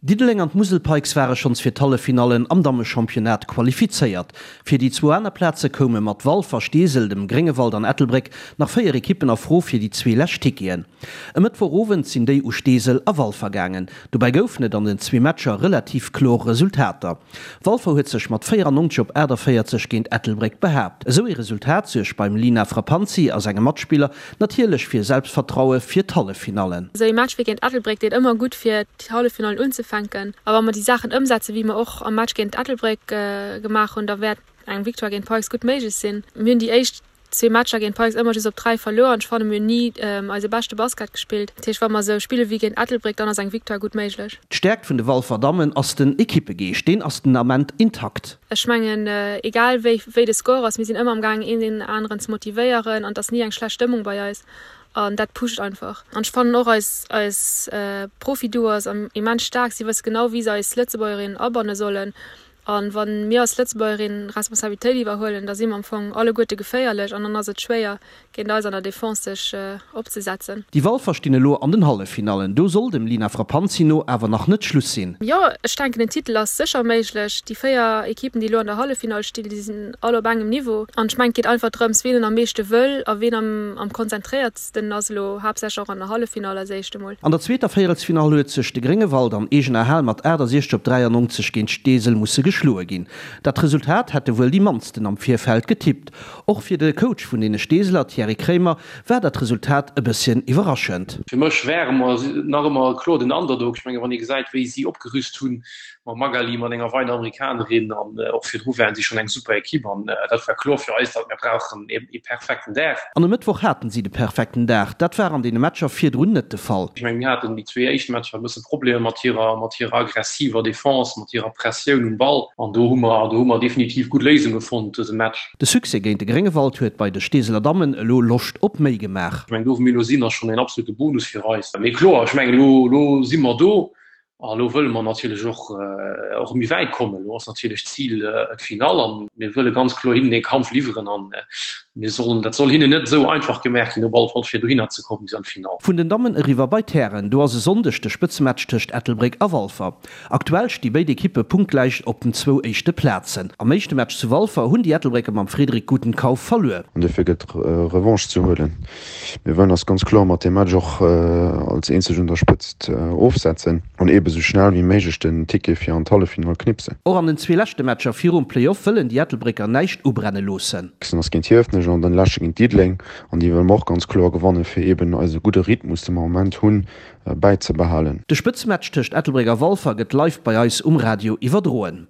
Diddeleng an d'Musel Pikes ware schonns fir d'Halleffinallen am Dammechampionnat qualifizéiert. Fir déi zwou aner Plaze koume mat Walfer, Steesel, dem Gréngewald an Ettelbréck nach 4 Ekippen a Fro fir déi zwee lescht Ticketen. E Mëttwochowend sinn déi u Steesel a Walfer gaangen. Dobäi goufen et an den zwee Matcher relativ kloer Resultater. Walfer huet sech mat 94 op 48 géint Ettelbréck behaapt. Esou ee Resultat suergt beim Lina Frappanzi a senge Matspiller Natierlech fir Selbstvertraue fir d'Halleffinallen. Esou ee Match wéi géint Ettelbréck deet ëmmer gutt fir d'Halleffinallen unzefänken. A wa mer déi Saachen ëmsetzen, wéi mer och am Match géint Ettelbréck gemaach hunn, da wäert eng Victoire géint Pikes gutt méiglech sinn. Mir hunn déi éischt zwee Matcher géint Pikes ëmmer just op 3 verluer an ech fanne mir hunn ni eise beschte Basket gespillt. Dat heescht, wa mer esou spille wéi géint Ettelbréck, dann ass eng Victoire gutt méiglech. D'Stäerkt vun de Walfer Dammen ass den Ekippegeescht. Deen ass den Ament intakt. Ech mengen, egal wéi wéi de Score ass, mir sinn ëmmer am gaangen een deen aneren ze motivéieren an et ass ni eng schlecht Stëmmung bei eis an dat pusht einfach. An ech fannen och eis eis Profi-Duo ass immens staark, si wësse genau wéi se eis Lëtzebuergerinnen abanne sollen an wann mir als Lëtzebuergerinnen Responsabilitéit iwwerhuelen, da si mer am Fong alleguerte geféierlech an dann ass et schwéier géint eis an der Defense sech opzesetzen. Déi Walfer stinn elo an den Halleffinallen. Do soll dem Lina Frappanzi no awer nach net Schluss sinn. Jo, ech denken den Titel ass sécher méiglech. Déi 4 Ekippen déi elo an der Halleffinall stinn, déi sinn all op engem Niveau. An ech mengen et geet einfach drëms ween en am meeschte wëll a ween am konzentréiertsten ass elo, haaptsächlech och an der Halleffinall als éischt emol. An der zweeter Véierelsfinall huet sech de Gréngewald an eegener Hal mat 68 op 93 géint Steesel musse geschloe ginn. Dat Resultat hätte wuel déi mannsten am Virfeld getippt. Och fir de Coach vun deene Steeseler, Thierry Kraemer, war dat Resultat e bësschen iwwerraschend. Fir mech ware mer nach ëmmer kloer den Underdog. Ech menge wann ee gesäit, wéi si opgerüst hunn, mam Magali, mat enger weider Amerikanerin an och virdru waren si schonn eng super Ekipp an dat war kloer fir eis, datt mir brauchen ee perfekten Dag. An e Mëttwoch haten si de perfekten Dag. Dat war an deene Matcher virdrun net de Fall. Ech menge mir haten déi zwee éischt Matcher e bësse Problemer mat hirer mat hirer aggressiver Defense, mat hirer Pressioun um Ball an do hu mer do hu mer definitiv gutt Léisunge fonnt dëse Match. De Succès géint de Gréngewald huet bei de Steeseler Dammen elo Loscht op méi gemaach. Ech mengen do wou mir elo sinn ass schonn een absolute Bonus fir eis. Mee kloer, ech mengen elo elo si mer do a elo wëlle mer natierlech och och méi wäit kommen. Elo ass natierlech d'Zil d'Finall an mir wëlle ganz kloer hinnen ee Kampf liwweren an mir sollen dat soll hinnen net esou einfach gemaach ginn op alle Fall fir dohinner ze kommen bis an d'Finall. Vun den Dammen eriwwer bei d'Hären, do ass e Sonndeg de Spëtzematch tëscht Ettelbréck a Walfer. Aktuell sti béid Ekippe punktgläich op den zwou éischte Plazen. Am éischte Match zu Walfer hunn déi Ettelbrécker mam Frédéric Gutenkauf verluer. An dofir gëtt Revanche ze huelen. Mir wëllen eis ganz kloer mat deem Match och als eenzeg un der Spëtzt ofsetzen an eebe sou schnell wéi méiglech den Ticket fir an d'Halleffinall knipsen. Och an den zwee leschte Matcher virum Play-Off wëllen déi Ettelbrécker näischt ubrenne loossen. Nächsten ass géint Hiefenech an den leschte géint Diddeleng an déi wëlle mer och ganz kloer gewannen, fir eeben eise gudde Rhythmus, dee mer am Moment hunn, bäizebehalen. De Spëtzematch tëscht Ettelbréck a Walfer gëtt live bei eis um Radio iwwerdroen.